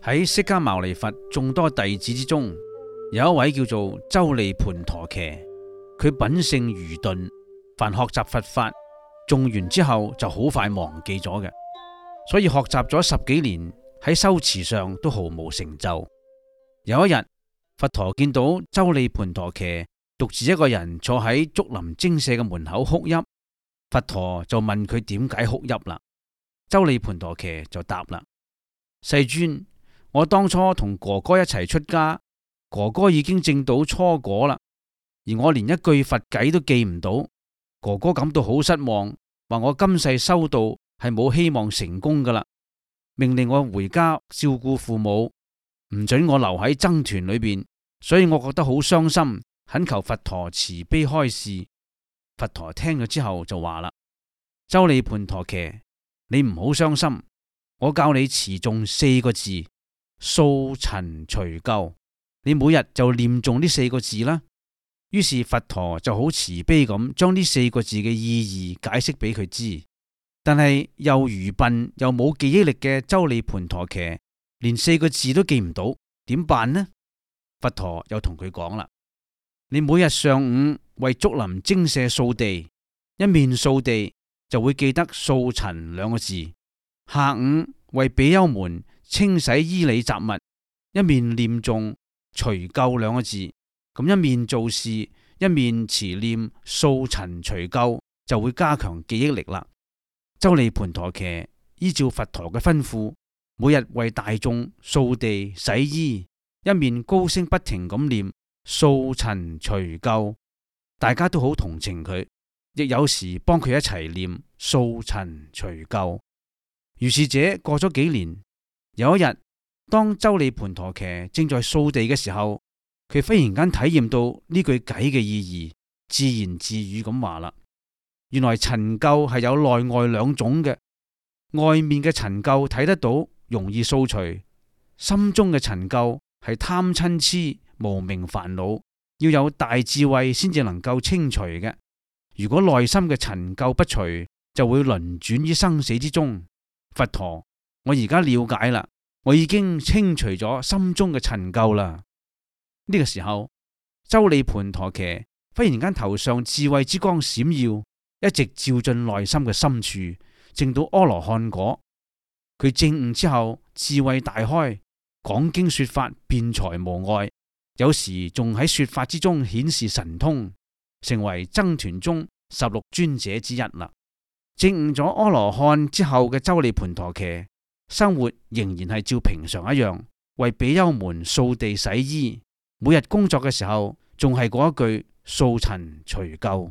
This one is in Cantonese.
喺釋迦牟尼佛眾多弟子之中，有一位叫做周利盤陀伽，佢品性愚鈍，凡學習佛法誦完之後就好快忘記咗嘅，所以學習咗10幾年喺修持上都毫無成就。有一日，佛陀見到周利盤陀伽獨自一個人坐喺竹林精舍嘅門口哭泣，佛陀就問佢點解哭泣啦。周利盤陀伽就答啦：世尊，我當初同哥哥一齊出家，哥哥已經證到初果啦，而我連一句佛偈都記唔到，哥哥感到好失望，話我今世修道係冇希望成功噶啦，命令我回家照顧父母，唔准我留喺僧團裏邊，所以我覺得好傷心，懇求佛陀慈悲開示。佛陀聽咗之後就話啦：周利盤陀伽，你唔好傷心，我教你持誦4個字，掃塵除垢，你每日就念誦呢4個字啦。於是佛陀就好慈悲咁將呢4個字嘅意義解釋俾佢知。但係又愚笨又冇記憶力嘅周利盤陀伽，連4個字都記唔到，點辦呢？佛陀又同佢講啦：你每日上午為竹林精舍掃地，一面掃地就會記得掃塵2個字；下午為比丘們清洗衣履雜物，一面念誦除垢2個字，咁一面做事，一面持念掃塵除垢，就會加強記憶力啦。周利盤陀伽依照佛陀嘅吩咐，每日為大眾掃地洗衣，一面高聲不停咁念掃塵除垢，大家都好同情佢，亦有時幫佢一齊念掃塵除垢。如是者過咗幾年，有一日，當周利盤陀伽正在掃地嘅時候，佢忽然間體驗到呢句偈嘅意義，自言自語咁話啦：原來塵垢係有內外2種嘅，外面嘅塵垢睇得到，容易掃除；心中嘅塵垢係貪嗔癡無明煩惱，要有大智慧先至能夠清除嘅。如果內心嘅塵垢不除，就會輪轉於生死之中。佛陀，我而家了解啦，我已經清除咗心中嘅塵垢啦。呢個時候，周利盤陀伽忽然間頭上智慧之光閃耀，一直照進內心嘅深處，證到阿羅漢果。佢證悟之後，智慧大開，講經說法辯才無礙，有時仲喺說法之中顯示神通，成為僧團中16尊者之一啦。證悟咗阿羅漢之後嘅周利盤陀伽，生活仍然係照平常一樣，為比丘們掃地洗衣，每日工作嘅時候仲係嗰一句掃塵除垢。